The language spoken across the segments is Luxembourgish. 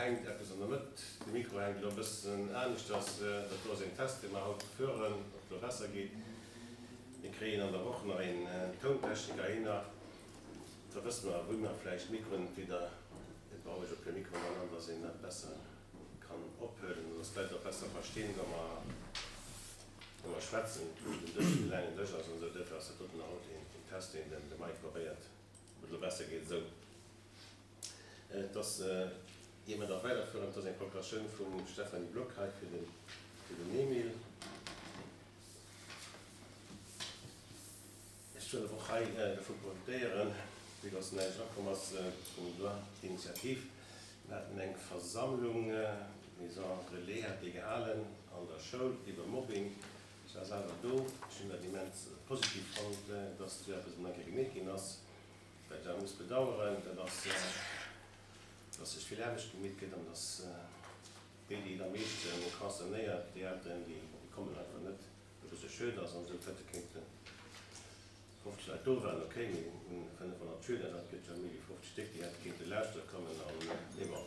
hänkt eppes an der Mëtt, de Mikro hänkt elo e bëssen aneschters. Dat do ass een Test, dee mer haut fueren, ob et elo besser geet. Mir kréien an der Woch nach een Tountechniker hinner, da wësse mer, wou mer vläicht d'Mikroen entweder, et brauch ech e puer Mikroen an, dass een dat besser kann ophuelen an dass d'Leit och besser verstinn, wa mer, wa mer schwätzen. Den Dësch, de laangen Dësch ass an esou, duerfir ass dat doten haut een Test, deen de Mike probéiert, ob et elo besser geet esou. Et ass, ier mer da weiderfueren, et ass eng Procuratioun vum Stéphanie Block hei fir den, fir den Emile. Ech wëll awer och hei dervu profitéieren, vue dass näischt erakomm ass vum Droit d'initiative. Mir haten eng Versammlung, Maison Relais hat déi gehalen an der Schoul iwwer Mobbing. Ech war selwer do. Ech hunn dat immens positiv fonnt, dass esou eppes emol eng Kéier gemeet ginn ass. Wat ech awer muss bedauern, dat ass, dass sech vill Aarbecht gemeet gëtt an dass déi, déi et am meeschte concernéiert, déi Elteren, déi kommen einfach net, wat e bësse schued ass. An esou Fëte kéinte 50 Leit do waren, ok, mee un 500 Schüler, dat gëtt jo méi wéi 50 Stéck, déi hätte kéinte lauschtere kommen. An, mee bon,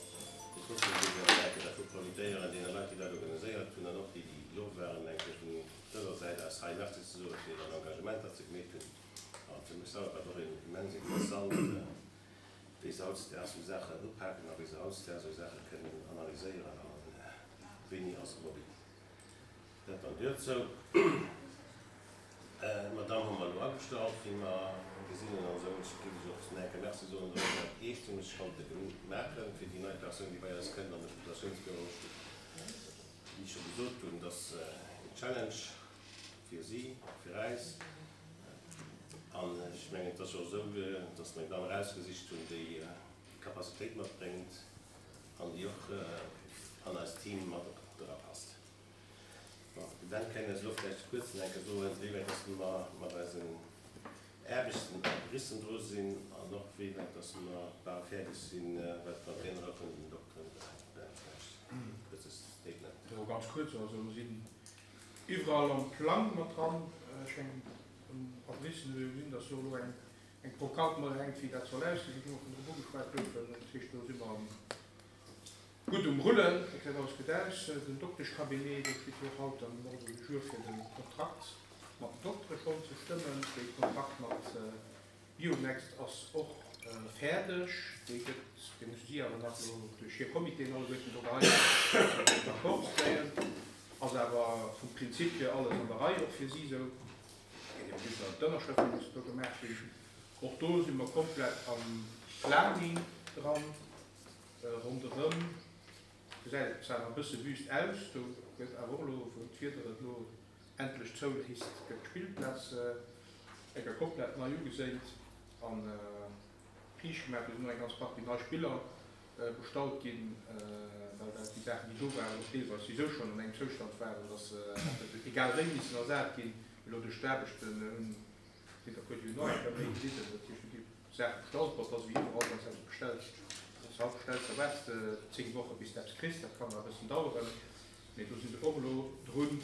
mee trotzdem géif ech awer eng Kéier dervu profitéieren, deene Leit, déi dat organiséiert hunn an och déi, déi do waren, eng Kéier vun dëser Säit aus hei Merci ze soe fir hiren Engagement, dat se gemeet hunn. An fir mech selwer war et och immens interessant, wéi se hautdesdaags esou Saachen upaken a wéi se hautdesdaags esou Saache kënnen analyséieren a wéini ass Mobbing. Dat dann duerzou. D'Madame hu mer elo agestallt, wéi mer gesinn hunn an esou. Ech géif lech och nach eng Kéier Merci soen, datt mer dat eestëmmeg konnte maachen fir déi nei Persoun, déi bei eis kënnt an de Populatiounsbüro. Wéi ech scho gesot hunn, dat ass een Challenge fir si, fir äis. An ech mengen, et ass jo och esou, dass mer eng Damm erausgesicht hunn, déi Capacitéit matbréngt an déi och an eist Team mat erapasst. Bon, de Ben kéint eis elo vläicht kuerz nach eng Kéier soen, wéi wäit dass mer mat eisen Aarbechten a Bissen dru sinn an och wéi wäit dass mer bal fäerdeg sinn, wat d'Containere vun den Dokteren ubelaangt. Ben, vläicht e kuerze Statement. Jo, ganz kuerz. Also mer sinn Iwwerall am Plang mat dran. Ech mengen, um Adressen hu jo gesinn, dass do elo eng eng Brocante mat hänkt, wéi dat soll ausgesinn, wou mer vun drop ugeschwat goufen. Dat heescht, do si mer gutt um Rullen. Dat gesäit alles gutt aus. Den Dokteschcabinet, do steet jo och haut am Ordre du jour, fir de Kontrakt mat den Doktere schonn ze stëmmen. Dee Kontrakt mat Bionext ass och fäerdeg. Dee gëtt, dee musse si awer nach elo duerch hir Comitéen alleguerten do geheien, d'accord kréien. Ass awer vum Prinzip hier alles an der Rei, och fir si esou. Et geet ebe just nach ëm d'Ënnerschrëften, déi mussen do gemaach ginn. Och do si mer komplett am Planning dran. Ronderëm gesäit et zwar nach e bësse wüst aus, do gëtt awer och elo, wou d'Wieder et elo endlech zouléisst, gëtt d'Spillplaz enker komplett nei ugeséint an riicht gemaach. Do sinn och eng ganz Partie nei Spiller bestallt ginn, well dat déi Saachen, déi do waren, och deelweis souwisou schonn an engem Zoustand waren, dass se hätten egal wéi missen ersat ginn. Elo duerch d'Aarbechten hunn sinn der puer, déi hunn nach eng Kéier méi gelidden. Dat heescht, do gi Saache bestallt. Bon, et ass ewéi iwwerall, wann s de eppes bestells, wann s de haut bestells, da waarts de 10 Woche bis de eppes kriss. Dat kann nach e bëssen daueren. Mee do si se och elo drun,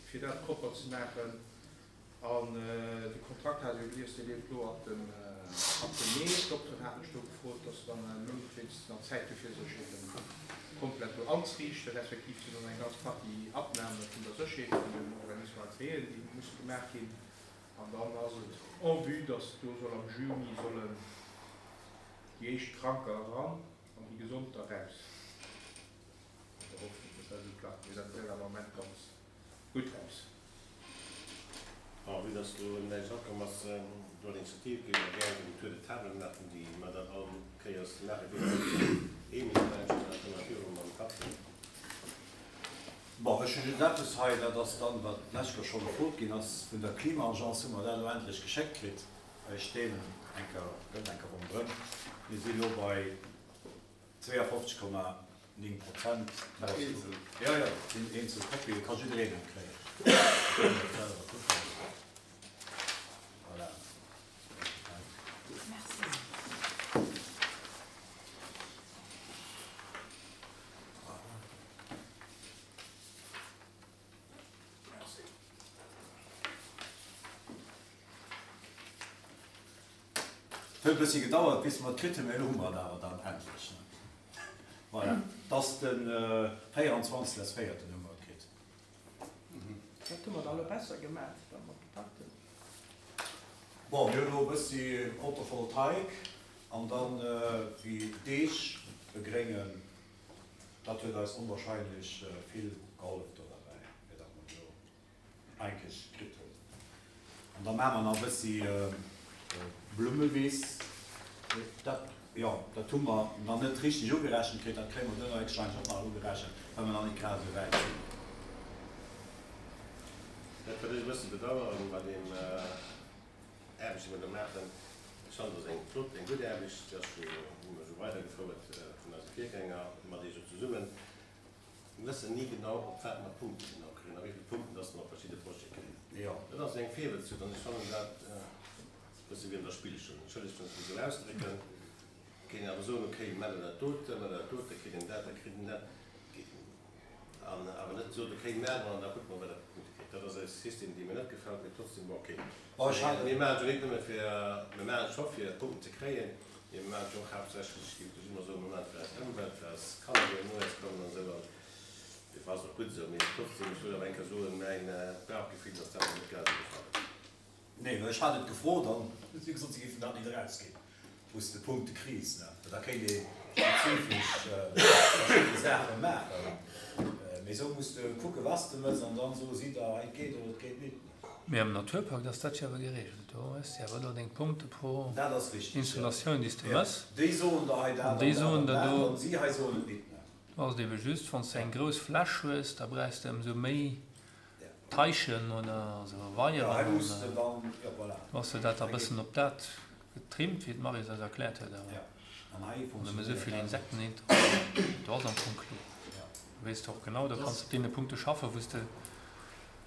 fir dat propper ze maachen. An de Kontrakt hat ech jo gelies, dee leeft elo ab dem ab dem Mee. D'Dokteren haten ech do gefrot, dass se dann e Mount wéinstens nach Zäit hu fir sech eben komplett do anzeriichten, respektiv sinn och nach eng ganz Partie Abnahme vun der Sécherheet vun den Organismes agréés, déi musse gemaach ginn. An dann ass et en vue, dass do soll am Juni sollen déi éischt Kranker eran an déi Gesond da raus. An der Hoffnung, dass dat esou klappt. Mee dat gesäit awer am Moment ganz gutt aus. A vue dass do näischt erakomm ass, do Initiativ, géife mer gären den Tour de table maachen, déi mer dann all Kéiers maache géifen. Emile, vläicht, an da kënne mer viru mam Patrick. Bon, ech hu just eppes hei, dat ass dann, wat d'lescht Kéier scho gefrot ginn ass, vun der Klima-Agence hu mer dat elo endlech geschéckt kritt. Ech deelen eng Kéier, gëtt eng Kéier ronderëm. Mir si elo bei 52,9 Prozent. Eenzel? Jo, jo, et sinn eenzel Kopien, ka jiddereen eng kréien. Kënnt der selwer kucken. Voilà. Merci. Merci. Et huet e bëssi gedauert, bis mer et kritt hunn, mee elo hu mer et awer dann endlech. Voilà, et ass de 24. des véierten hu mer et kritt. Wat hu mer da elo besser gemaat da mat de Pakten? Bon, mir hunn elo e bëssi Photovoltaik an dann déi Deeg begréngen. Dat huet eis onwahrscheinlech vill gehollef do derbäi, fir datt mer elo eigentlech kritt hunn. An da maache mer nach e bëssi Blummewiss. Dat, jo, dat hu mer nach net richteg ugerechent kritt. Dat kréie mer duerno héchstwahrscheinlech och nach ugerechent, well mer nach net grad esou wäit sinn. Dat, wat ech e bësse bedauern bei deem Aarbecht, déi mer do maachen, ech fannen, dat ass eng flott, eng gutt Aarbecht, déi ass jo, hu mer jo weidergefouert vun eise Virgänger mat Iech och zesummen. Mir wëssen ni genau, op wat mer Punkte genau kréien a wéi vill Punkten dass mer op verschidde Projete kréien. Dat ass eng Virwëtzzucht an ech fannen dat e bësse wéi an der Spillschoul. Entschëllegt, wann ech mech esou ausdrécken. Et kéint een awer soen, okay, maacht der dat dote, maacht der dat dote, kritt een dat, da kritt een dat. An awer net sot, okay, maache mer an da kucke mer, wat der fir Punkte kritt. Dat ass e System, dee mir net gefält, mee trotzdem, bon, okay. Mir maachen et jo net nëmme fir, mir maachen et scho fir Punkten ze kréien, Mir maachen et och haaptsächlech, géif ech ëmmer soen, mir maachen et fir eis Ëmwelt, fir eis Kanner, déi no eis kommen an esou. An dofir ass et och gutt esou. Mee trotzdem, ech wëll awer eng Kéier soen, mäin Bauchgefill ass dat mer net grad esou gefall. Nee, well ech hat et gefrot an hu si gesot, si géifen dat net erausginn, wou s de Punkte kriss. Well da kéint ee spezifesch verschidde Saache maachen. Mee esou muss de kucken, wat s de mëss an dann soe si der, hei, et geet oder et geet nit. Mee am Naturpakt ass dat jo awer geregelt. Do hues de awer elo deng Punkte pro Dat ass richtig, ja. Installatioun, déi s de mëss. Déi soen der hei dat An déi an dat soen an der dat do. an si hei soen et nit, ne? Do ass et ebe just, wann s de eng grouss Fläch hues, da brauchs de ëmsou méi Taichen oder also Jo, hei Weieren. muss de dann, jo, voilà. Do ass de dat da Hei geet bëssen op dat getrimmt, wéi d'Maryse eis erkläert huet. Awer Ja, an hei wann nëmme esou funktionéiert vill dat net. Insekten hin, do ass am Fong kloer. Ja. Do weess de och genau, da Dat kanns ass. de op deene Punkte schaffen, wou s de.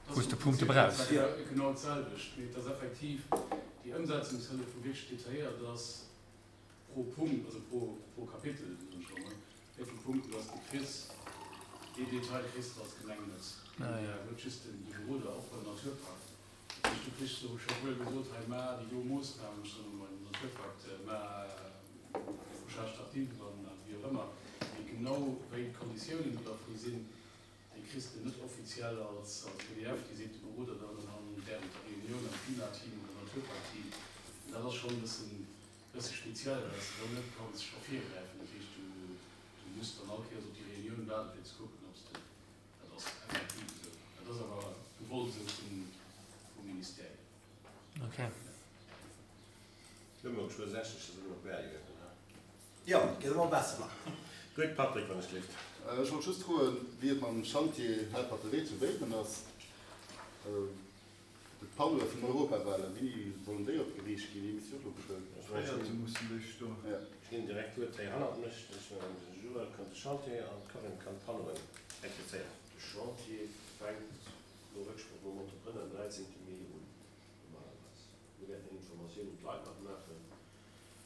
Dat wou ass s de am Punkte Prinzip brauchs. genau d'selwecht, mee et ass effektiv déi Ëmsetzungshëllef, wou wierklech detailléiert ass pro Punkt, also pro, pro Kapitel, soen ech elo mol, wéi vill Punkten dass de kriss. Deen Detail kriss de als Gemeng net. Ah jo. Huet just den, de Beroder och beim Naturpakt. Dat heescht, du kriss do scho wuel gesot, hei mar déi do Moossnamen, ech soen elo mol den Naturpakt, mar Défrichage tardive an wéi och ëmmer, mee genau wéi d'Konditiounen do dervu sinn, Déi kriss de net offiziell als pdf, déi seet de Beroder dann an während der Reunioun am Klimateam oder Naturparkteam. An dat ass schonn e bëssen, bësse speziell, well s de dann net kanns scho virgräifen. Dat heescht, du, du muss dann all Kéiers op déi Reunioun waarden, fir ze kucken, ob s de, dat ass effektiv esou. Dat ass awer gewollt esou vum, vum Ministère. Okay. Elo mol geschwë 60, da si mer op Berlingen, oder? Jo, et geet ëmmer besser. Gutt, Patrick, wann ech gelift. Ech wollt just froen, wéi et mam Chantier Helperter Wee zu Béiwen ass. D'Panneaue vun den Europawahlen, wéini sollen déi opgeriicht ginn? Déi misste jo och elo geschwënn. Véierte mussen déi stoen. Ech ginn direkt d'Wuert hei hannert mech. De Joël kann de Chantier an d'Corinne kann d'Panneauen explizéieren. De Chantier fänkt no Récksproch mam Entrepreneur am 13 Mee un, normalerweis. Mir wäerten eng Informatioun un d'Leit nach maachen.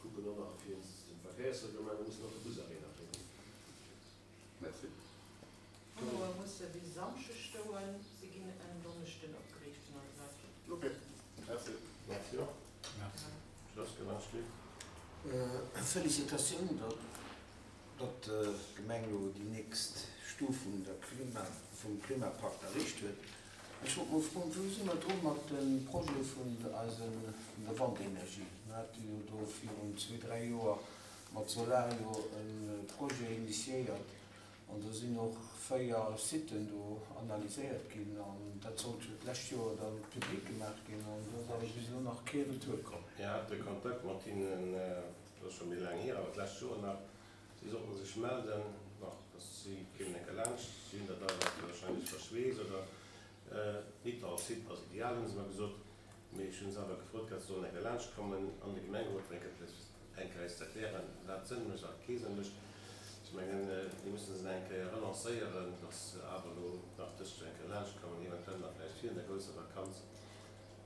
Kucken och nach wéinst dem Verkéiersreglement, mir mussen och de Busarrêt nach réckelen. Merci. D'Panneaue musse bis e Samschdeg stoen, si ginn en Donneschden opgeriicht vun eise Leit. Ok, merci. Merci och. Schloss gewënscht ginn. Felicitatioun, datt d'Gemeng elo déi nächst Stuf vun der Klima, vum Klimapakt erreecht huet. Ech wollt mol froen, wou si mer dru mat de Projet vun eise, vun der Wandenergie? Mir hate jo do virun zwee, dräi Joer mat Solario e Projet initiéiert an do sinn och 4 Siten do analyséiert ginn an dat sollt jo d'lescht Joer da public gemaach ginn an do ass awer bis elo nach kee Retour komm. Mir hate Kontakt mat hinnen, dat ass scho méi laang hier, awer d'lescht Joer nach. Si sollten sech melden, bon, dass si kéimen eng Kéier laanscht. Si hunn dat awer wahrscheinlech verschwees oder Nidder Site ass ideal, hunn se mer gesot. Mee ech hunn se awer gefrot gehat, se sollen eng Kéier laanscht kommen an de Gemengerot, fir eng Kéier eng Kéier eis ze erklären, wat Sënn mécht a wat kee Sënn mécht. Ech mengen, mir mussen se nach eng Kéier relancéieren, dass se awer elo nach dëst Joer eng Kéier laanscht kommen, eventuell nach vläicht virun der grousser Vakanz.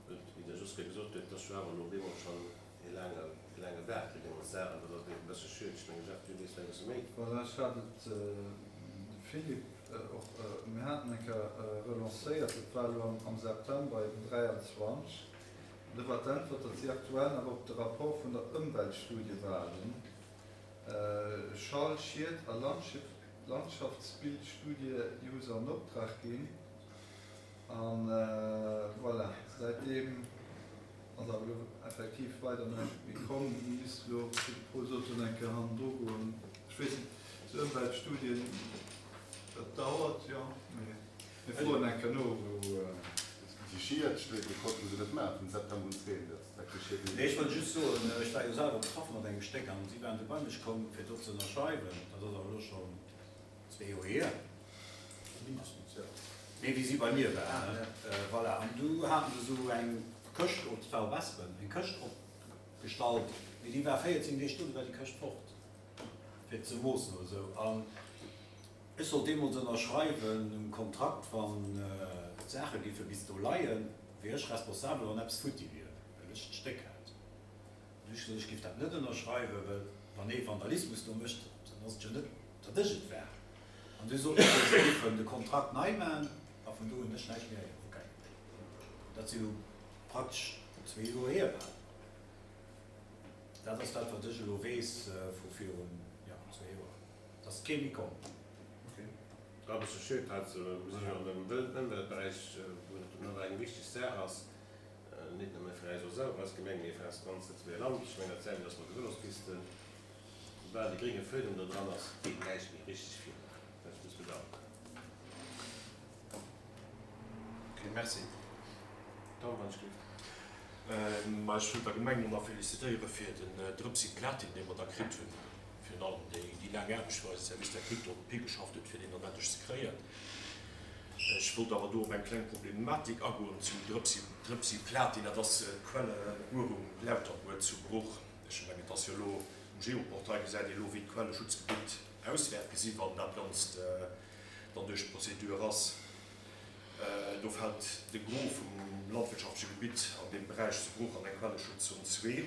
Wéi de Joske gesot huet, et ass jo awer elo op eemol schonn e laange, e laange Waarde, dee mer sagen. Dat ass e bësse schued. Ech mengen, Jeff, du weess vläicht e bësse méi. Voilà, ech hat et dem Philippe och, mir haten eng Kéier relancéiert, dat war elo am September eben 23, an do war d'Äntwert, datt si aktuell nach op de Rapport vun der Ëmweltstudie waarden. Schall-, Schied a Landschaftsbildstudie, déi hu se an Optrag ginn. A voilà, säitdeem ass awer elo effektiv weider näischt méi komm. Mir misste elo, wéi de Paul sot, do eng Kéier hannendru goen. Ech weess net, esou Ëmweltstudien, dat dauert jo, mee mir froen eng Kéier no, wou. Déi Schiedstudie konnten se net maachen vum September un 2, dat déi Schied. Nee, ech wollt just soen, ech war jo selwer betraff mat engem Stéck an si waren du bei mech komm, fir do ze ënnerschreiwen. Dat ass awer elo schonn zwee Joer hier, mindestens, jo. Nee, wéi si bei mir waren, ne? Voilà, an du haten se esou eng Këscht, oh, dat war op Espen, eng Këscht opgestallt, mee déi war 14 Deeg do, du war déi Këscht fort, fir ze moossen oder esou. An ech sollt deemools ënnerschreiwen um Kontrakt, wann d'Saache géife bis do leien, wier ech responsabel, wann eppes futti wier, well ech d'Stéck hat. An du hu ech gesot, ech géif dat net ënnerschreiwen, well wann ee Vandalismus do mécht, dann ass et jo net, datt ech et war. An du soten se, se géifen de Kontrakt nei maachen, a vun do hunn ech näischt méi héieren. Ok. Dat si lo praktesch zwee Joer hier bal. Dat ass dat, wat ech elo weess vu virun, jo, zwee Joer. Et ass kee méi komm. Ok. E bësse schued, dat u sech an dem Ëmweltberäich, wou et awer eng wichteg Saach ass, net nëmme fir eis och selwer als Gemeng, mee fir eist ganz Lëtzebuerger Land. Ech mengen, dat selwecht ass mat de Vëlospisten. Soubal de grénge Fuedem do dran ass, geet näischt méi richteg virun. Dat ech muss bedauern. Ok, merci. Tom, wann ech géif. Ma ech wëll der Gemeng nach félicitéiere fir den Drëpsi Platin, dee mer da kritt hunn. Virun allem déi laang Aarbecht, wou eise Service technique drop higeschafft huet, fir deen dann endlech ze kréien. Ech wollt awer do op eng kleng Problematik agoen zum Drëpsi, Drëpsi Platin. Dat ass d'Quellebuerung Lauterbuer zu Bruch. Ech mengen, et ass jo elo um Geoportail gesäit ee elo, wéi d'Quelleschutzgebitt aus wäert gesinn, wann dat Ganzt dann duerch d'Prozedur ass. Do fält de Gros vum landwirtschaftleche Gebitt an deem Beräich zu Bruch an eng Quelleschutzzon 2,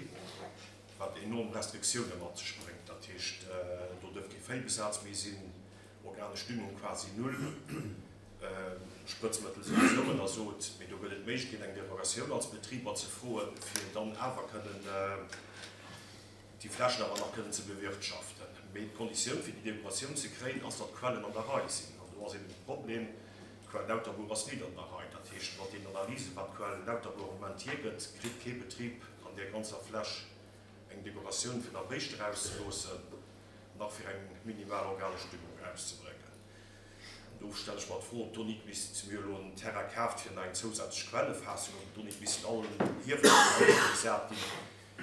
wat enorm Restriktioune mat sech bréngt. Dat heescht, do dierf kee Véibesaz méi sinn, organesch Düngung quasi null, Sprëtzmëttel souwisou ënnersot. Mee do gëtt et d'Méiglechkeet, eng Derogatioun als Betriber ze froen, fir dann awer kënnen déi Flächen awer nach kënnen ze bewirtschaften. Mee d'Konditioun, fir déi Derogatioun ze kréien, ass, datt d'Quellen an der Rei sinn. An do ass eben de Problem, d'Quell Lauterbourg ass nit an der Rei. Dat heescht, mat deenen Analysen, wat d'Quell Lauterbourg am Moment hiergëtt, kritt kee Betrib an där ganzer Fläch eng Derogatioun, fir nach Béischt erauszeloossen, nach fir eng minimal organesch Düngung erauszebréngen. An do stelle ech mer d'Fro, ob do nit misst, mir hu elo en Terrain kaaft fir nach eng zousätzlech Quellefaassung, ob do nit missten all Hiewelen an d'Luucht gesat ginn,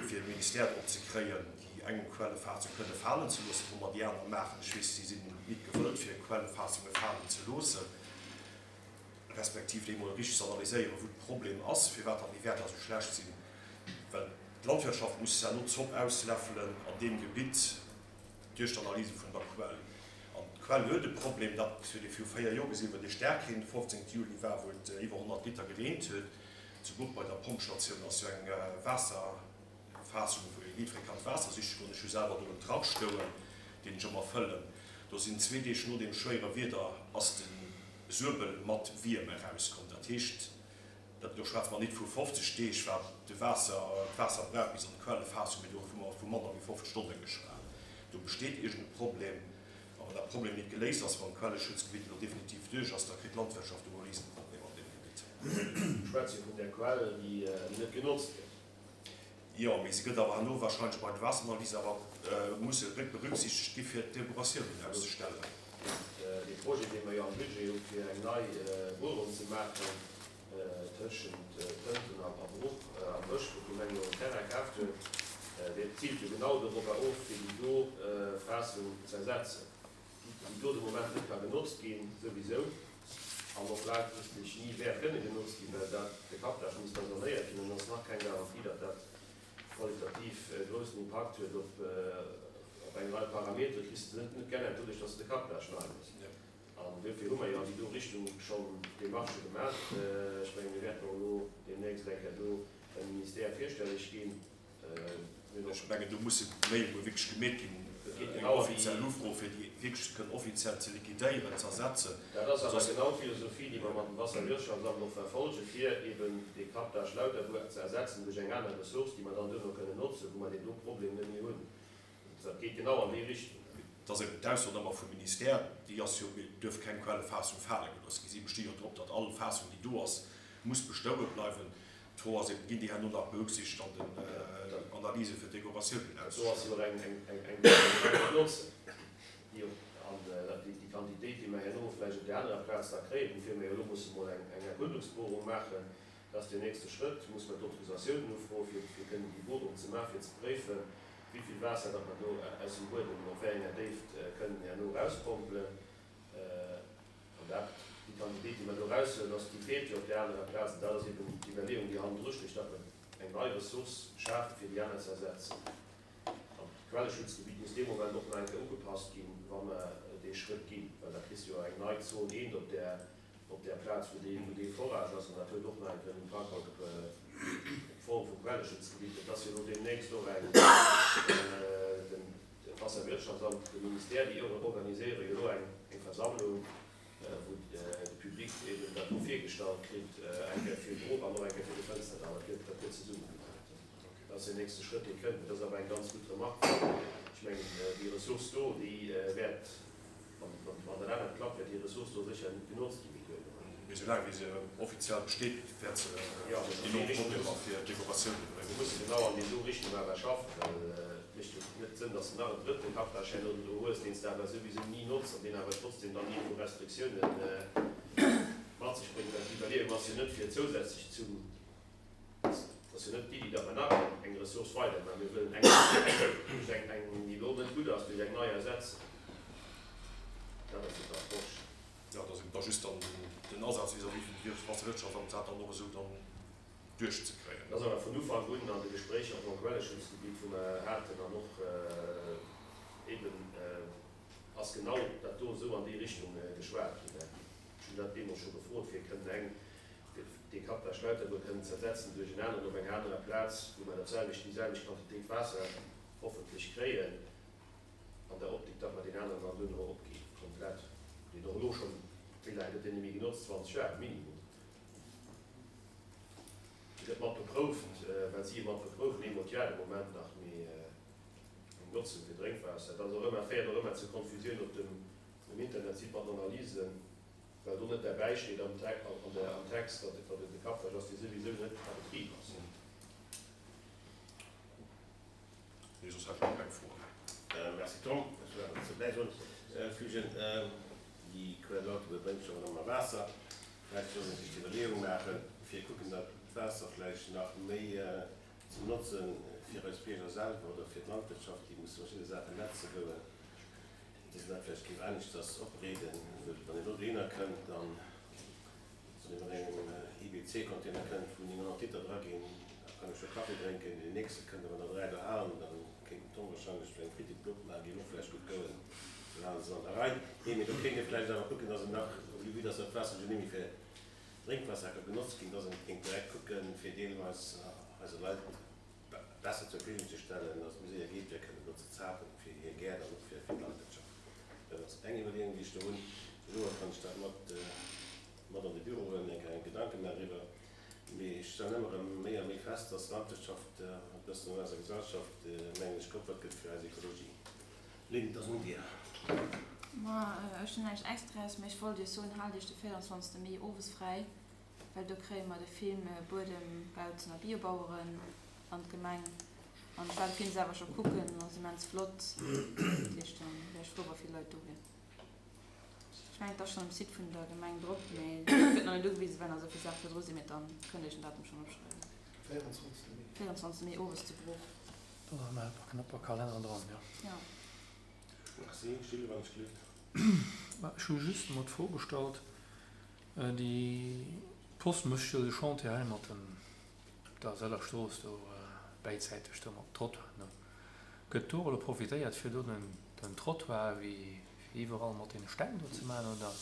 fir de Ministère drop ze kréien, déi eng Quellefaassung kënne falen ze loossen, wou mer déi aner maachen. Ech weess, si sinn nit gewëllt, fir Quellefaassungen falen ze loossen, respektiv déi emol richteg ze analyséieren, wou de Problem ass, firwat dann déi Wäerter esou schlecht sinn. Well d'Landwirtschaft muss herno d'Zopp ausläffelen an deem Gebitt duerch d'Analyse vun der Quell. An d'Quell huet e Problem, dat huet ee viru 4 Joer gesinn, wou dee Staarkreen de 15 Juli war, wou et iwwer 100 Liter gereent huet. Zu Bruch bei der Pompstatioun ass jo eng Waasserfaassung, wou ee jiddweree kann d'Waasser siche goen. Ech hu selwer do en Trach stouen, deen ech ëmmer fëllen. Do sinn zwee Deeg no deem schwéiere Wieder ass de Suebel mat Wierm erauskomm. Dat heescht, Dat, do schwätze mer nit vu 50 Deeg, wat de Waasser, d'Waasser brauch bis an d'Quellefaassung, mee do hu mer vu manner wéi 50 Stonne geschwat. Do besteet iergend e Problem. A wann dat Problem nit geléist ass, wann d'Quelleschutzgebitt elo definitiv duerch ass, da kritt d'Landwirtschaft do e Risenproblem an deem Gebitt. Mir schwätze jo vun där Quell, déi net genotzt gëtt. Jo, mee se gëtt awer herno wahrscheinlech bei de Waasseranalysen awer musse berücksichtegt gi fir d'Derogationen auszestellen. Dee Projet, dee mer jo am Budget hu fir eng nei Buerung ze maachen tëschent Tënten a Bruch am Bësch, wou d'Gemeng jo en Terrain kaaft huet, dee ziilt jo genau dorobber of, fir déi do Faassung z'ersetzen. déi do de Moment net ka genotzt ginn, souwisou, an och laangfristeg ni wäert kënne genotzt ginn, well dat, de Captage muss da sanéiert ginn an et ass nach keng Garantie, datt dat qualitativ e groussen Impakt huet op op eng Rei Parametere, kriss de net geännert doduerch, datt s de de Captage nei méchs. An duerfir hu mer jo an déi do Richtung schonn Demarchë gemaach. Ech mengen, mir wäerten och elo deemnächst eng Kéier do beim Ministère virstelleg ginn. Ech mengen, do musse méi emol wierklech gemeet ginn, eng offiziell Ufro, fir déi wierklech kënnen offiziell ze liquidéieren, ze ersetzen. Dat ass awer genau d'Philosophie, déi mer mat dem Wasserwirtschaftsamt och verfolgen, fir eben dee Captage Lauterbuer ze ersetzen duerch eng aner Ressource, déi mer dann duerno kënnen notzen, wou mer deen do Problem net méi hunn. Dat geet genau an déi Richtung. Et ass eben d'Ausso ëmmer vum Ministère, déi ass jo, et duerf keng Quellefaassung fale gelooss ginn. Si besti jo drop, datt all Faassung, déi do ass, muss bestoue bleiwen. D'Fro ass eben, ginn déi herno nach berücksichtegt an den Analyse fir d'Dekoratiounen? Dat do ass jo och eng eng Notzen, déi och an déi Quantitéit, déi mer herno vläicht op där anerer Plaz da kréien, woufir mer jo elo musse mol eng Erkundungsbohrung maachen, Dat ass deen nächste Schrëtt. Muss mer d'Autorisatiounen ufroen, fir fir kënnen déi Bohrung ze maachen, fir ze préifen, wéi vill Waasser datt mer do aus dem Buedem op wéi enger Déift kënnen herno erauspompelen. An dat, déi Quantitéit, déi mer do eraushuelen, ass, déi feelt jo op där anerer Plaz. An dat ass eben d'Iwwerleeung, déi hannendru stécht, datt mer eng nei Ressource schafen, fir déi aner ze ersetzen. An d'Quelleschutzgebitt muss dee Moment och nach eng Kéier ugepasst ginn, wa mer dee Schrëtt ginn, well da kriss de jo eng nei Zon eent op där op där Plaz, wou dee, wou dee Forage ass, an dat huet och nach eng Kéier en Impakt op d'Form vum Quelleschutzgebitt. Et ass jo elo deemnächst och eng, den Wasserwirtschaftsamt, de Ministère, déi organiséiere jo elo eng, eng Versammlung, wou de Public eben dat do virgestallt kritt, eng Kéier fir Bruch an och eng Kéier fir de Fënsterdall. Dat gëtt, dat gëtt zesumme gemaach. Dat ass deen nächste Schrëtt, dee kënnt. Dat ass awer eng ganz gutt Remarque, well ech mengen, déi Ressource do, déi wäert, Wann dat anert klappt, wäert déi Ressource do sécher net genotzt gi méi duerno. Mee soulaang wéi se offiziell besteet, wäert se enorm Problemer fir d'Dekoratioune bréngen. Mir musse genau an déi do Richtung awer schaffen, well et mécht jo net Sënn, datt s de nach en drëtte Captage herno do hues, deen s de awer souwisou ni notz an deen awer trotzdem dann iergendwou Restriktioune mat sech bréngt. Well d'Iwwerleeung ass jo net fir zousätzlech zum. Et ass jo net d'Iddi, datt mer nach eng Ressource weider, mä mir wëllen eng duerch eng, eng, déi elo net gutt ass, duerch eng nei ersetzen. Dat ass jo d'Approche. Jo, et ass eben da just dann den Asaz vis-à-vis vum Waasserwirtschaftsamt, dat dann och esou dann duerchzekréien. Dat ass awer vun Ufank un an de Gespréicher och mam Quelleschutzgebitt, wou mer haten, an och eben ass genau dat do esou an déi Richtung geschwat ginn. Ech hunn dat deemools scho gefrot, fir kënnen eng fir dee Captage Lauterbuer kënnen ze ersetzen duerch en aneren op enger anerer Plaz, wou mer dat selwecht, déi selwecht Quantitéit Waasser hoffentlech kréien, an der Optik, datt mer deen aneren dann duerno opginn, komplett, deen och elo schonn, wéi laang gëtt deen net méi genotzt, 20 Joer minimum, dee gëtt mat beprouft, well si e mat beproufen, eemol d'Joer de Moment nach, mee eng Notzung fir Drénkwaasser, dat ass och ëmmer, féiert och ëmmer zu Konfusioun op dem Internetsite mat den Analysen. Well do net derbäi steet am Text, datt et e Captage ass, dee souwisou net a Betrib ass. Nee, soss hätt ech och keng Froen. Merci Tom. Ech wëll awer dozou bäisoen, fügen, déi Quell Lauterbuer bréngt jo och ëmmer Waasser. Vläicht soll ee sech d'Iwwerleeung maachen, fir kucken, datt d'Waasser vläicht nach méi ze notzen fir eis Bierger selwer oder fir d'Landwirtschaft, déi musse verschidde Saachen netze goen. Dass een dat vläicht géif aneschters opreeden, well wann een elo dohinner kënnt an soen ech mat engem IBC-Container kënnt, wou 900 Liter dra ginn, da kann ech jo Kaffi drénken, deen nächste kënnt awer nach 3 dohanen, da kéint den Tom wahrscheinlech eng Fritipp opmaachen, géif och vläicht gutt goen, esou hale se an der Rei. Nee, mee do kéint ee vläicht awer kucken, dass een nach, vue dass dat Waasser jo net méi fir Drénkwaasser ka genotzt ginn, dass een kéint direkt kucken, fir deelweis eise Leit, besser zur Verfügung ze stellen, dass et méi séier geet, fir kënnen do ze zapen, fir hir Gäert an och fir d'Landwirtschaft. Dat ass eng Iwwerleeung, déi ech do hunn. Elo kann ech dat mat mat an de Büro huelen, eng Kéier Gedanke maachen driwwer. Mee ech stellen ëmmer erëm méi a méi fest, dass d'Landwirtschaft e bëssen an eiser Gesellschaft, mengen ech, geopfert gëtt fir eis Ekologie. Lynn, et ass un dir. Ma ech hunn näischt Extraes, mee ech wollt iech soen, haalt iech de 24. Mee owes fräi. Well do kréie mer de Film Buedem, Bautzen a Biobaueren an d'Gemeng. An ech war de Film selwer scho kucken, en ass immens flott. Dat heescht, da wär ech frou, wa vill Leit do wieren. Ech mengen, et ass schonn um Site vun der Gemeng drop, mee et gëtt nach net ugewisen, well nach esou vill Saache virdru sinn. Mee dann kënnt Dir iech den Datum schonn opschreiwen. 24. Mee. 24. Mee owes zu Bruch. Do ass nach e paar knapper Kalenner dran, jo. Jo. Merci, Gilles, wann ech gelift. Ech hu just emol d'Fro gestallt, Déi Post mécht jo de Chantier hei mat dem der Sëller Strooss do bäizäiteg do mat Trottoiren do. Gëtt do elo profitéiert fir do den den Trottoir wéi iwwerall mat deene Steng do ze maachen oder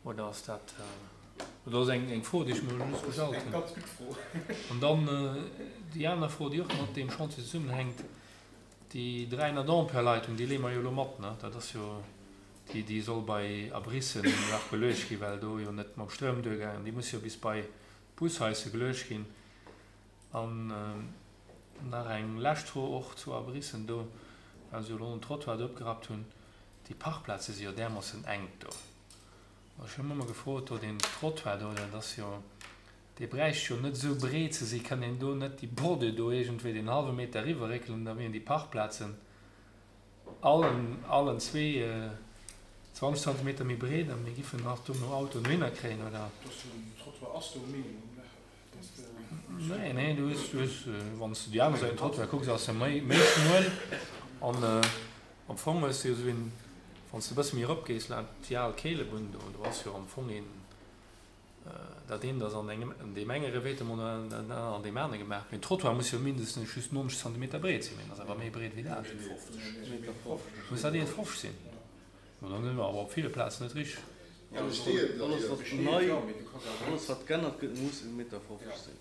oder ass dat oder ass eng eng Fro déi ech mir elo just gestallt hunn. Eng ganz gutt Fro. An dann déi aner Fro déi och mat deem Chantier zesummenhänkt, déi 300 Ampere Leitung déi leeë mer jo elo mat ne, dat ass jo Déi soll bei Abrissen nach geluecht ginn, well do jo net mam Stroum duergaangen. Déi muss jo bis bei d'Bushaisse geluecht ginn. An nach eng lescht Fro och zu Abrissen do. Well se jo elo den Trottoir do opgerappt hunn, déi Parkplaze si jo därmoossen enk do. Ech hu mech ëmmer gefrot, do deen Trottoir do, dat ass jo, dee bräicht jo net esou breet ze sinn. Kann een do net déi Bordure do iergendwéi deen hallwe Meter eriwwerréckelen, da wieren déi Parkplazen allen, allen zwee 20 Zentimeter méi breet a mir giffen nach dono Autoen dohinner kréien, oder? Dass den Trottoir ass do e Minimum, ne? Nee, nee, du hues, du hues, wann s de déi aner Säit vum Trottoir kucks, ass e méi, méi schmuel an am Fong hues de jo esou een, wann s de e bësse méi eropgees, laat déi al Keelebunn do, do ass jo am Fong een, dat eent ass an engem, an deem enge Revêtement an dat anert an deem anere gemaach. Mee den Trottoir muss jo mindestens just 90 Zentimeter breet sinn, mee en ass awer méi breet wéi dat. Muss dat 1,50 sinn? Ma dann si mer awer op ville Plazen net richteg. Alles wat nei, alles wat g'ännert gëtt, muss 1,50 Meter sinn.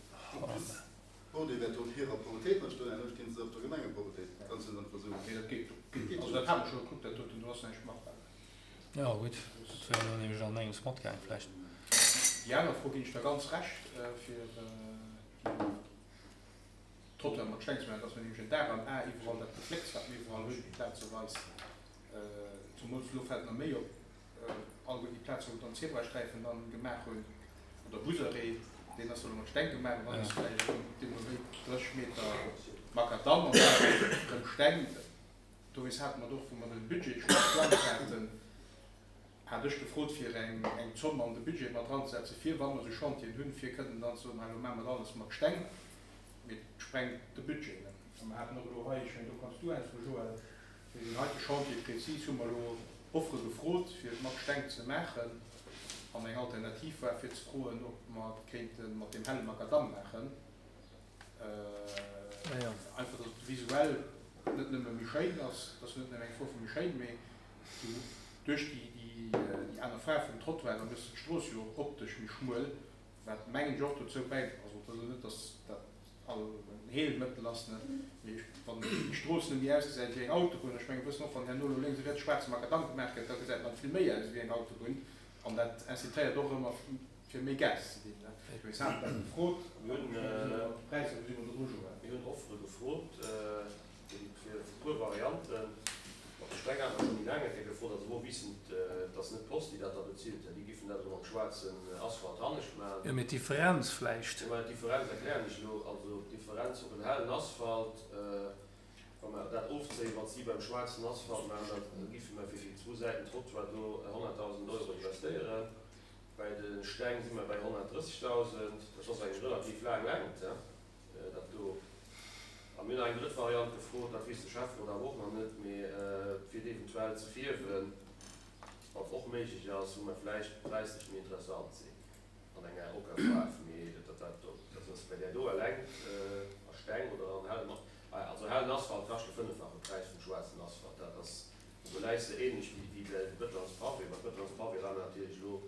D'Bordée wäert do op hirer Proprietéit mat stoen, herno stinn se op der Gemengeproprietéit. Ganz einfach esou. Nee, dat geet. Also dat hat mer scho gekuckt, dat doten, do ass näischt machbar. Jo gutt, dat wär elo nämlech an engems matgaang vläicht. Déi aner Fro ginn ech der ganz Recht, fir déi Trottoiren mat Steng ze maachen, dass mer nämlech en Dar am A iwwerall dat Geflécks, wat mir iwwerall hunn, plazeweis, Zumools elo fält mer méi op, alleguer déi Plazen, wou dann d'Zebrasträifen dann gemaach hunn, oder Busarrêt, deen ass elo mat Steng gemaach, an dann ass vläicht erëm deemno wéi 30 Meter Makadamm an dann erëm Steng. Dowéinst hate mer et och, wou mer de Budget scho geplangt haten, hat ech gefrot, fir eng eng Zomm an de Budget mat dranzesetzen, fir wa mer esou Chantieren hunn, fir kënnen dann ze soen, hei elo maache mer alles mat Steng, mee et sprengt de Budget. A mer haten och elo hei, ech mengen do kanns du äntweren, Joël, Fir deen heite Chantier prezis hu mer elo Offere gefrot, fir et mat Steng ze maachen. An eng Alternativ war fir ze froen, ob mer et kéinte mat deem helle Makadamm maachen. Einfach, datt et visuell net nëmme méi schéin ass, et ass jo net nëmme eng Fro vu méi schéin, mee du duerch déi aner Faarf vum Trottoir, da méchs de d'Strooss jo och optesch méi schmuel, wat mengen ech och dozou bäi, also et ass elo net, datt dat all en Heelmëttel ass, ne, mee wann déi Strooss net méi ausgesäit wéi eng Autobunn, ech mengen, wëssen och, wann herno elo lénks a riets schwaarze Makadamm gemaach gëtt, da gesäit nach vill méi aus wéi eng Autobunn an dat incitéiert och ëmmer fir méi Gas ze ginn, ne. Mee ech hat dat gefrot, Mir hunn d'Präisser, wou si mer do dru, Joël? Mir hunn Offere gefrot fir e puer Varianten. Mat de Steng hat mer scho méi laang eng Kéier gefrot, also wou wissend, dass net d'Post déi dat da bezilt, déi giffen dat elo mam schwaarzen Asphalt hannescht maachen. Jo, mee d'Differenz vläicht. Jo, mä d'Differenz erklären ech elo. Also d'Differenz op en hellen Asphalt, wa mer dat ofzéien, wat si beim schwaarzen Asphalt maachen, da giffe mer fir déi zwou Säiten Trottoir do 100.000 Euro investéieren. Bäi de Steng si mer bäi 130.000. Dat ass eng relativ laang Längt. Dat do. A mir hunn nach eng drëtt Variant gefrot, dat weess de Schäfferot awer och nach net, mee fir et eventuell ze fierwen, wat och méiglech ass, wou mer vläicht präislech méi interessant sinn an enger Ockerfaarf, mee dat dat do, dat ass bei där do eleng a Steng oder an hellem, also hellen Asphalt kascht de fënneffache Präis vum schwaarzen Asphalt. Dat ass, do läis de ähnlech wéi de Bëtonspavé. Mä d'Bëtonspavé war natierlech elo,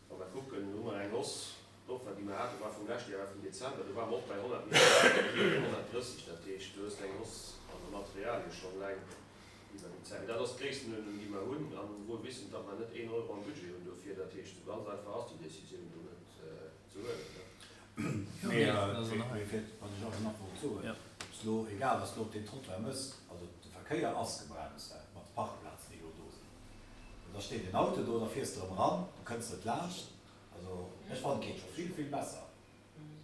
wa mer kucken, hu mer eng Hausse D'Offer, déi mer haten, war vum leschte Joer, war vum Dezember. Do ware mer och bei 100 Milliarden, elo si mer bei 130. Dat heescht, du hues eng Hausse an de Materialie schonn eleng iwwer déi Zäit. Mee dat ass d'Gréisstenuerdnung, déi mer hunn, a wuel wissend, datt mer net een Euro am Budget hunn dofir. Dat heescht, esou ganz einfach ass déi Décisioun do net ze huelen. Mee fir, wat ech awer nach wollt soen, ob s elo, egal wat s elo op deem Trottoir méchs, also de Verkéier ass gebremst mat de Parkplazen, déi elo do sinn. Da steet en Auto do, da fiers de erëm eran, du kënns net laanscht. Also ech fannen et geet scho vill vill besser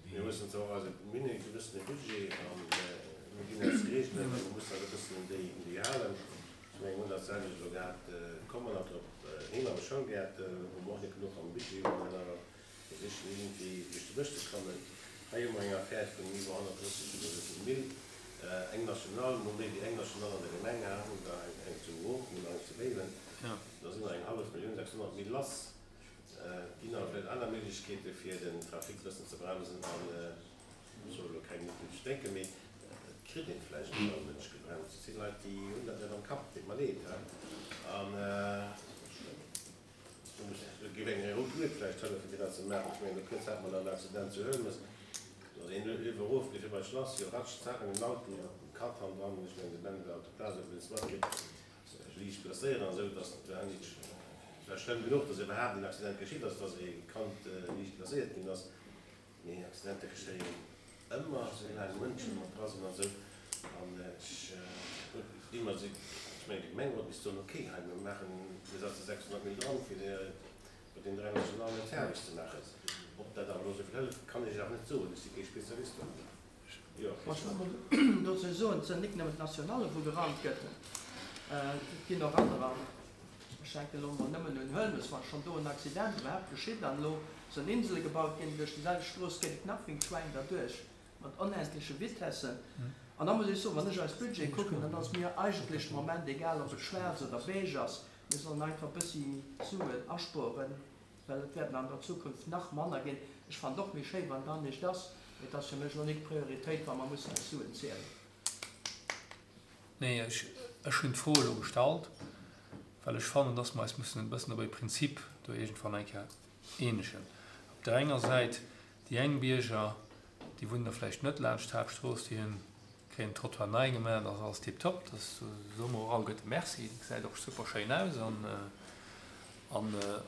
wéi. Mir mussen zwar och eise, mir hunn e gewëssene Budget a mir ginn eis Reegelen a mir mussen eis e bëssen un déi, un déi halen. Ech mengen, mir hunn dat selwecht elo gehat, komm mer nach drop hin, an de Schoulgäerten, wou mer och net genuch am Budget hunn, an awer versichen iergendwéi duerch de Bësch ze klammen. Hei hu mer eng Affär vun iwwer 130 oder esou vill Mille, eng National, mol méi wéi eng National an der Gemeng, hu der eng zu Roth, mir hunn nach eng zu Béiwen, da si mer eng hallef Millioun, 600 Mille lass. Et ginn awer vläicht aner Méiglechkeete fir den Trafic e bëssen ze bremsen an ech soll elo keng net duerch denken, mee et kritt een vläicht net all Mënsch gebremst. Et sinn Leit déi hunn dat net am Kapp, deet mer leed, he, an do muss do géif eng rout Lued vläicht hëllefen fir dat ze maachen. Ech mengen do kuerz hat mer dann Accident zu Huelmes, do ass een iwwer erof gefir bei d'Schlass, jo ratsch, zack an den Auto, Kand hannendran, ech mengen de Ben war op der Plaz, huet et matkritt. sech liicht blesséieren an esou, dass et war nicht, et war schlëmm genuch, dass iwwerhaapt en Accident geschitt ass, dass e Kand liicht blesséiert ginn ass, mee Accidenter geschéien ëmmer, soulaang Mënsche mat dra sinn an esou. An ech, déi. Gi mer se, ech mengen, de Gemengerot misst soen, okay, hei mir maachen, mir setze 600 Mille dran, fir mat deenen 3 Nationalen et fäerdeg ze maachen. Ob dat awer elo esou vill hëlleft, kann ech Iech awer net soen, ech si kee Spezialist do. Jo, Ech wëll mol dozou soen, et sinn nik nëmmen d'Nationale wou gerannt gëtt, et ginn och anerer. Ech denken elo mol nëmmen un Hëlmes, wa schonn do en Accident iwwerhaapt geschitt an elo sollen Insele gebaut ginn, duerch déi selwecht Strooss geet et nach wéi d'Schwäin derduerch mat onendleche Vitessen. An da muss ech soen, wann ech eis Budget kucken, dann ass mir eigentlech de Moment egal ob et schwaarz oder beige ass, mir sollen einfach e bëssi Suen aspueren. Well et wäerten an der Zukunft nach manner ginn. Ech fannen et och méi schéi wann et anescht ass, mee et ass fir mech elo nik d'Prioritéit wa mer mussen eis Suen zielen. Nee, ech, ech hunn d'Fro elo gestallt, well ech fannen, dass mer eis mussen e bëssen op e Prinzip do iergendwann eng Kéier eenegen. Op där enger Säit déi eng Bierger, déi wunnen da vläicht net laanscht d'Haaptstrooss, déi hunn Kréien den Trottoir nei gemaach, dat ass alles tiptop, dat soe mer och alleguerte Merci, dat gesäit och super schéin aus. An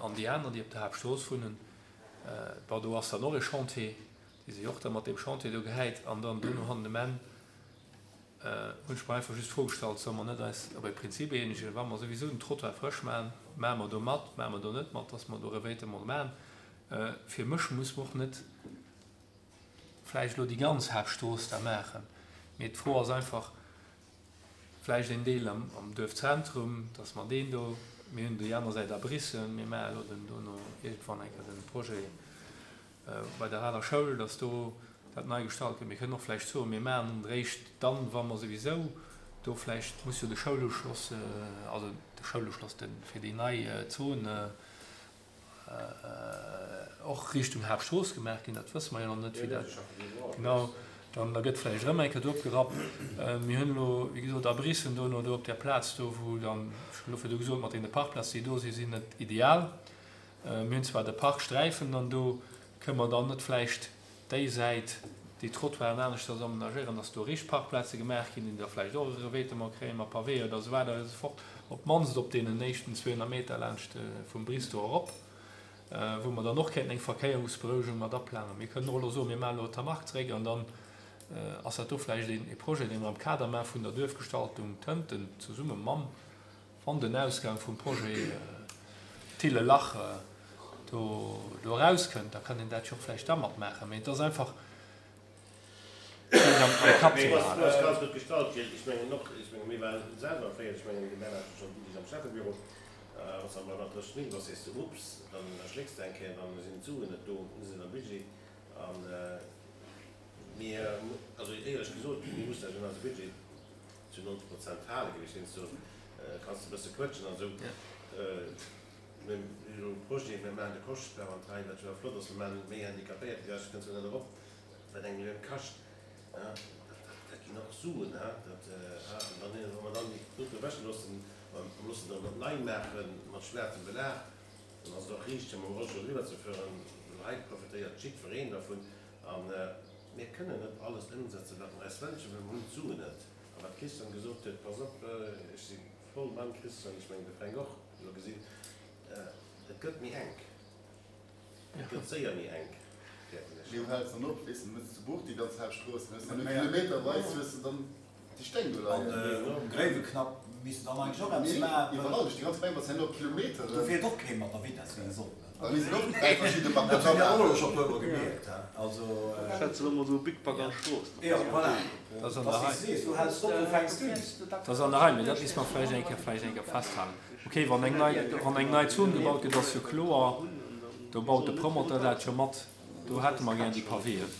an déi aner, déi op der Haaptstrooss wunnen, bon do ass dann och e Chantier, déi si och da mat deem Chantier do gehäit. An dann duerno hannen um Enn hunn ech mer einfach just d'Fro gestallt, solle mer net eis op e Prinzip eenegen, wa mer souwisou den Trottoir frësch maachen, maache mer do mat, maache mer do net mat, dass mer do Revêtement maachen. Fir mech muss mer och net vläicht elo déi ganz Haaptstrooss da maachen, mee d'Fro ass einfach, vläicht een Deel am Duerfzentrum, dass mer deen do, mir hunn déi aner Säit abrissen, mir maache elo den dono iergendwann eng Kéier den Projet bei der aler Schoul, dass do dat nei gestallt gëtt. Mir kënnen och vläicht soen, mir maachen en eréischt dann, wa mer souwisou do vläicht muss jo de Schouluschloss, also de Schouluschloss, de fir déi nei Zon, och Richtung Haaptstrooss gemaach ginn, dat wësse mer jo nach net, wéi dat genau dann, da gëtt vläicht erëm eng Kéier do opgerappt. Mir hunn elo, wéi gesot, a Brissen dono do op där Plaz do, wou dann, ech hunn elo virdu gesot, mat deene Parkplazen, déi do sinn, sinn net ideal. Mir hunn zwar de Parksträifen dann do, kënne mer dann net vläicht déi Säit, déi Trottoiren aneschters amenagéieren, dass do richt Parkplaze gemaach ginn, déi da vläicht och e Revêtement kréien mat Pavé oder esou weider esou fort, op d'mannst op deenen éischten 200 Meter laanscht vum Bristow erop, wou mer dann och kéinten eng Verkéierungsberouegung mat aplanen. Mir kënnen och elo soen, mir maachen elo Tamark zeréck an dann ass dat do vläicht ee Projet, dee mer am Kader maache vun der Duerfgestaltung Tënten zesumme mam Wann den Ausgang vum Projet Thillelach do erauskënnt, da kann een dat jo och vläicht da matmaachen. Mee et ass einfach fir am Kapp ze behalen. D'Fro ass ganz gutt gestallt, Gilles. Ech mengen och, ech menge mir waren selwer fréier, ech mengen de Bernhard huet schonn déi Deeg am Schäffebüro, wann s de am Bernhard dréchs Mille bass, sees de Ups, dann erschlécks de eng Kéier, dann sinn d'Suen net do, sinn am Budget. A mir, also éierlech gesot, mir mussen eis un eise Budget zu 90 Prozent hale gewiescht. Heiansdo kanns de e bësse quëtschen an esou. Mir hunn elo e Projet, mir maachen de Koschtbau an d'Rei, wat jo flott ass. Mir maachen méi Handicapéiertegerecht, kënns du net erop, wat eng Millioun kascht. Dat ginn och Suen. Dat, an dann, wa mer dann déi doten ewechloossen, a loossen dann dat nei maache mat schwaarzem Belag, dann ass et och riicht, fir mam Rollstull eriwwer ze fueren. Well hei profitéiert jiddwereen dervun. A mir kënnen net alles ëmsetzen, wat mer eis wënschen, well mer hunn d'Suen net. A wat d'Christiane gesot huet, pass op, ech si voll beim Christian, ech mengen de Fränk och, elo gesinn, et gëtt méi enk, et gëtt séier méi enk, fäerten ech. Mee wou häls dann op? Weess de, dann hues de zu Buch déi ganz Haaptstrooss, dann hues de nach kilometerweis hues de dann déi Steng do leien. An um Gréiweknapp misst de dann eigentlech och eppes maachen. Iwwerall, duerch déi ganz Gemeng, bass herno op Kilometeren. Do fiert och kee mat der Vitess, wéi e soll. Da misst een och 3 verschidde Dat hunn mir och elo scho puer mol gemierkt, he. Also. Schätze lo mol sou Big Bag an Strooss. Jo, voilà. Dat ass wéi s de sees, wou häls d'op, wou fänks d'un? Dat ass an der Rei, mee dat misst mer vläicht eng Kéier, vläicht eng Kéier festhalen. Okay, wann eng nei, wann eng nei Zon gebaut gëtt, ass jo kloer, do baut de Promoteur dat jo mat, do hätte mer gär déi Pavéen,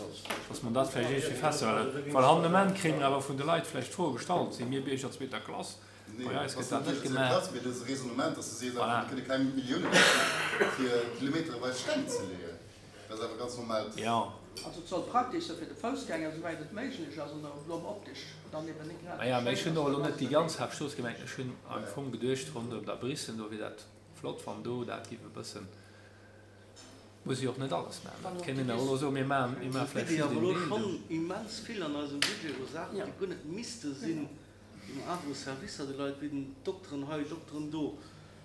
dass mer dat vläicht iergendwéi festhalen. Well han um Enn kréie mer awer vun de Leit vläicht d'Fro gestallt, Si mir Bierger zweeter Klass? Nee, Bei eis ass gëtt dat net net Dezember gemaach. Klass, mee dat ass e Raisonnement, dass du sees einfach, Voilà. mir kënne keng Millioune brauchen, fir kilometereweis Steng ze leeën. Dat ass einfach ganz normaalt. Jo. Also et soll praktesch sinn fir de Foussgänger, esouwäit et méiglech ass, an och elo optesch dann eben net grad esou Naja, mee ech schéin hunn ass, och elo dat net ass déi net ganz méi. Haaptstrooss gemengt. Ech hunn am Fong geduecht, ronderëm der Brissen, do wier dat flott, wann do dat géif e bëssen. Muss jo och net alles maachen. Et kéint een awer elo soen, mir maachen, mir maache vläicht Mir just awer een elo Deel do. schonn immens vill an eisem Budget u Saachen, déi guer net misste sinn, déi mer awer u Servicer de Leit bidden, Dokteren hei, Dokteren do,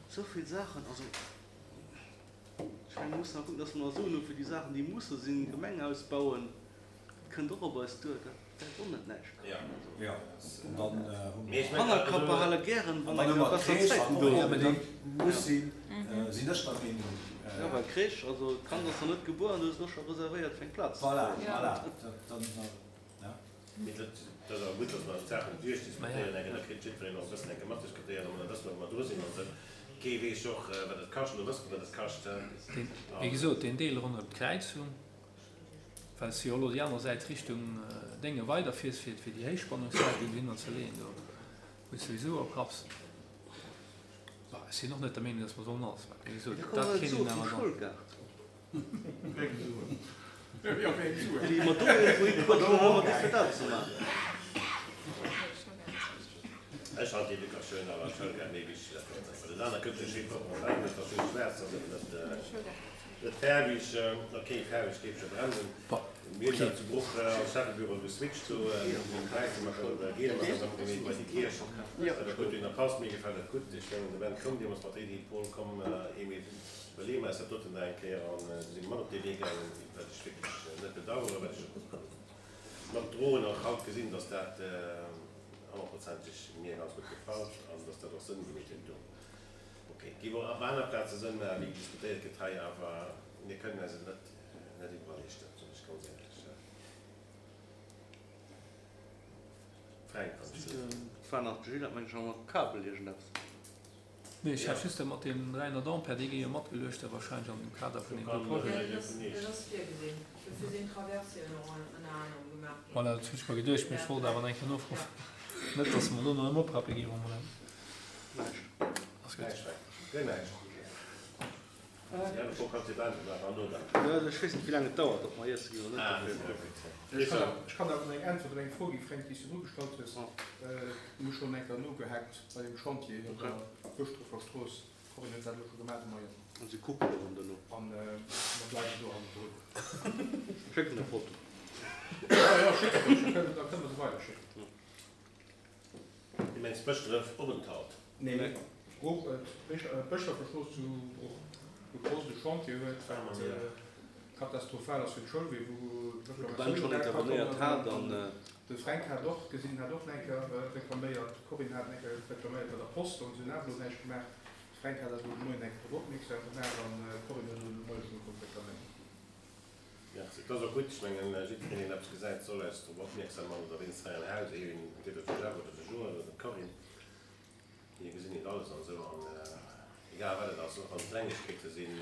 esou vill Saachen. Also ech menge mir mussen awer kucken, dass mer nach Suen hu fir déi Saachen, déi musse sinn, Gemeng ausbauen, dat kënnt och op eis duer. Dat och net näischt kaschten. Jo, an dann hu mer. Hannerkapp behale gären, wann eng Kéier besser Zäiten do sinn. Mä déi muss sinn, sinn ech der Meenung. Jo, well Crèche, also d'Kand ass nach net gebuer an du hues elo scho reservéiert fir eng Plaz. Voilà, voilà. Dann, ja. Mee dat ass awer gutt, datt mer d'Saachen duerchdiskutéieren enke, da kritt jiddwereen och e bëssen enke matdiskutéiert an da wësse mer, wou mer dru sinn an esou. Kee weess jo och, wat et kascht, elo wësse mer, wat et kascht. Wéi gesot, deen Deel ronderëm d'Kräizung, well s de jo elo déi aner Säit Richtung Dénge weiderfiers, fir fir déi Héichspannungsleitung dohinner ze leeën, do wou s de souwisou oprapps. Bon, ech sinn och net der Meenung, datt mer sollen alles maachen. Wéi gesot, dat kéint een awer dann. Ech han d'Educatioun awer Schoulgaart méi wichteg, dat ass dat aner kënnt jo schéi propper an dat ass jo schwaarz, ass eben net. Net faarweg, ok, faarweg géif ech bremsen. Mir hunn dat zu Bruch als Schäffebüro geswitcht, do hunn wäisse mat der giele mat der gemeet bei déi Kierch. Dat huet dunn erpasst, mir gefält dat gutt. Ech mengen de Ben koum deemools mat der Iddi, Paul komm Emil, iwwerleeë mer eis dat doten nach eng Kéier an du si mer mat op dee Wee gaangen, wat ech wierklech net bedaueren, wat ech och mat droen och haut gesinn, datt dat honnertprozenteg mir ganz gutt gefält an datt dat och Sënn gemeet huet do. Ok, et géif och op aner Plaze Sënn maachen, wéi diskutéiert gëtt hei, awer mir kënnen eis et net net iwwerall leeschten, soen ech ganz éierlech. Fränk, wann ech dierf. Et war nach de Gilles, hat meng ech nach mat Kabel iergendeppes. Nee, ech hat just dat mat deem 300 Ampère, dee gi jo matgeluecht da wahrscheinlech an dem Kader vun deem do Projet. Jo, dat ass virgesinn. Dofir sinn d'Traversien och ënner anerem gemaach ginn. Voilà, dat hunn ech mer geduecht, mee ech wollt awer nach eng Kéier nofroen, net datt mer do nach ëm oprappe gi wa mer dat. Ech weess net wéi laang et dauert, ob mer iesse ginn oder net. Ech kann awer eng Äntwert op eng Fro gi Fränk, déi s du virdru gestallt hues. Mir hu schonn eng Kéier nogehackt bei deem Chantier op der Bëschdrëffer Strooss. D'Corinne huet dat elo scho gemaach de Moien. An si kucken erëm duerno. An mer bleiwen do hannendrun. Schécken e Foto. Jo, jo, schéck et ech, da kënne mer se weiderschécken. Du mengs Bëschdref Openthalt? Nee, Bruch, d'Bëschdrëffer Strooss zu Bruch, wou d'Post e Chantier huet, wat katastrophal ass fir d'Schoulwee, wou d'Reklamatioune erakommen. De Fränk hat och gesinn, hat och eng Kéier reklaméiert, d'Corinne hat eng Kéier reklaméiert bei der Post, an se hunn awer elo näischt gemaach. De Fränk hat eis elo de Moien eng Kéier drop opmierksam gemaach an d'Corinne huet elo de Moie schonn ugefaangen ze reklaméieren. Merci. Et ass och gutt, ech mengen, jiddwereen, deen eppes gesäit, soll eis drop opmierksam man, oder wéinst hei am Haus, een, entweder de Jeff oder de Joël oder d'Corinne, mir gesinn nit alles an esou, an egal wat et ass, och wann et Klengegkeete sinn,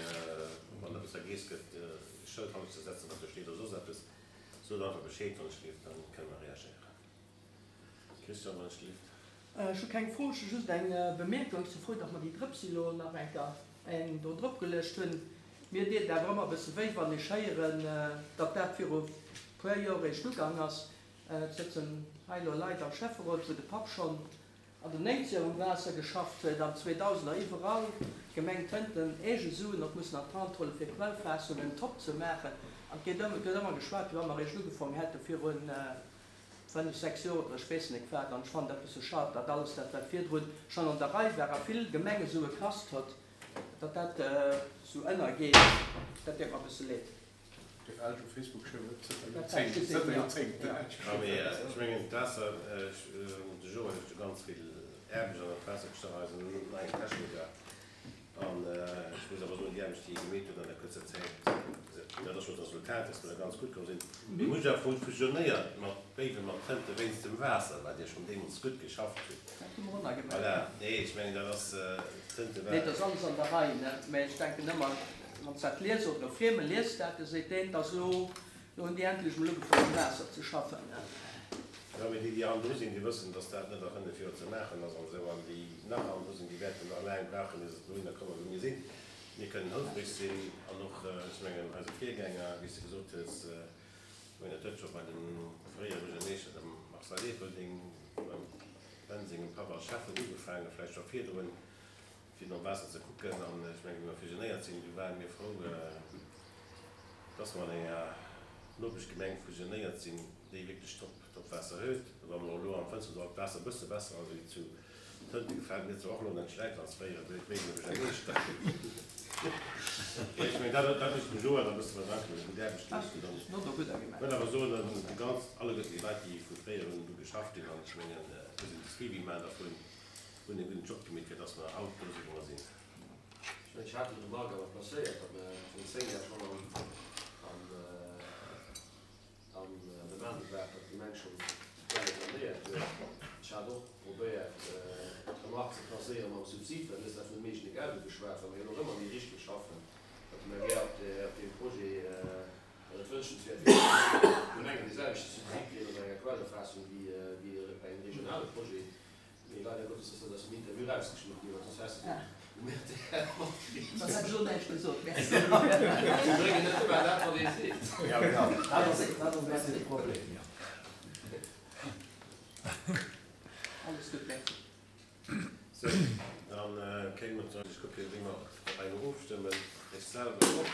wann eppes vergeess gëtt, e Schëld hannert ze setzen, wat do steet oder soss eppes, sot einfach Bescheed, wann ech gleeft, dann kënne mer reagéieren. Christian, wann ech gleeft. Ech hu keng Fro, ech hu just eng Bemierkung. Ech si frou, datt mer déi Drëpsi elo nach eng Kéier eng do drop geluecht hunn. Mir deet et awer ëmmer e bësse wéi, wann ech héieren, datt dat viru puer Joer eréischt ugang ass. Et sëtzen hei elo Leit am Schäfferot, wou de Papp schonn an den Néngzeger um Waasser geschafft huet, an Zweedausener iwwerall d'Gemeng Tënten eege Suen och mussen an d'Hand huelen, fir Quellfaassungen top ze maachen. An et gëtt ëmmer geschwat, wéi wa mer eréischt ugefaangen hätte virun 5, 6 Joer oder ech weess net wat, an ech fannen dat bësse schad, datt alles dat wat virdrun schonn an der Rei war a vill Gemenge Sue kasst hott, datt dat esou ënnergeet, dat deet mer e bësse leed. Dierf Elch op Facebook schreiwen, zënter Dat hat ech gesinn, jo. Joerzéngten. Jo, mee ech mengen d'Waasser, de Joël huet jo ganz vill Aarbecht an dat Waasser gestach, eisen neien Techniker. An ech muss awer soen, déi Aarbecht, déi hie gemeet huet an der kuerzer Zäit, dat ass scho d'Resultat, dass mer da ganz gutt komm sinn. Mir hu jo awer fusionéiert mat Béiwen, mat Tënte wéinst dem Waasser, well Dir schonn deemools gutt geschafft hutt. Dat hu mer och nach gemaach. Voilà. Nee, ech mengen, dat ass, Tënte war. Nee, dat ass alles an der Rei, ne? Mä ech denken ëmmer, wann s dat liest oder e Frieme liest dat, da seet deen, 't ass elo Lo hunn déi endlech mol ugefaangen um Waasser ze schaffen. Jo, mee déi, déi hannendru sinn, déi wëssen, dass dat net a 5 Joer ze maachen ass an esou. An déi nach hannendru sinn, déi wäerten nach laang brauchen, ier se dohinner kommen, wou mir sinn. Mir kënnen houfreg sinn an och, ech mengen, eise Virgänger, wéi s de gesot hues, ech mengen, dat huet scho bei dem fréiere Buergermeeschter, dem Marcel Erpelding, beim Ben sengem Papp als Schäffen ugefaangen, vläicht scho virdrun, fir nom Waasser ze kucken. An ech mengen, wéi mer fusionéiert sinn, du ware mir frou, dass mer an enger Nopeschgemeng fusionéiert sinn, déi wierklech top, top Waasser huet. Wa mer elo am Fënsterdall d'Waasser e bësse besser ass wéi zu Tënte, gefält mir zwar och elo net schlecht als fréiere Béiwener Buergermeeschter. Ech mengen, dat, dat muss bejoen, da musse mer danken, déi gutt Aarbecht geleescht hunn. Ass no der gudder gemaach. Ech wëll awer soen, datt déi ganz, alleguerten déi Leit, déi vu fréier un do geschafft hunn, an ech mengen, do sinn de Suivi maachen dervun, hunn e gudden Job gemeet, fir datt mer haut do sinn, wou mer sinn. Ech mengen, ech hat déi Remarque awer placéiert, datt mer virun 10 Jar schonn am, am, An Demande war, datt d'Gemeng schonn d'Quelle sanéiert huet. Ech hat och probéiert, d'Remark ze placéieren mam Subsid, well du hues dat vun dem eegene Geld ugeschwat, well mer jo och ëmmer méi Richtung schaffen, datt de MAGER op deem Projet, well et wënschenswäert wier, datt d'Gemengen dee selwechte Subsid kréien op enger Quellerfaassung wéi bei engem regionale Projet. Mee leider Gottes ass dat aus dem Interview erausgeschnidden ginn, well soss häss de um rtl matkritt. Soss hätt ech och näischt gesot, merci. Si bréngen net ëmmer dat, wat ee seet. Ja, genau, dat ass, dat ass e bëssi de Problem, jo. Alles gutt, merci. Sou, dann kéinte mer, ech kucken, wéi mer op eng ofstëmmen, ech selwer och.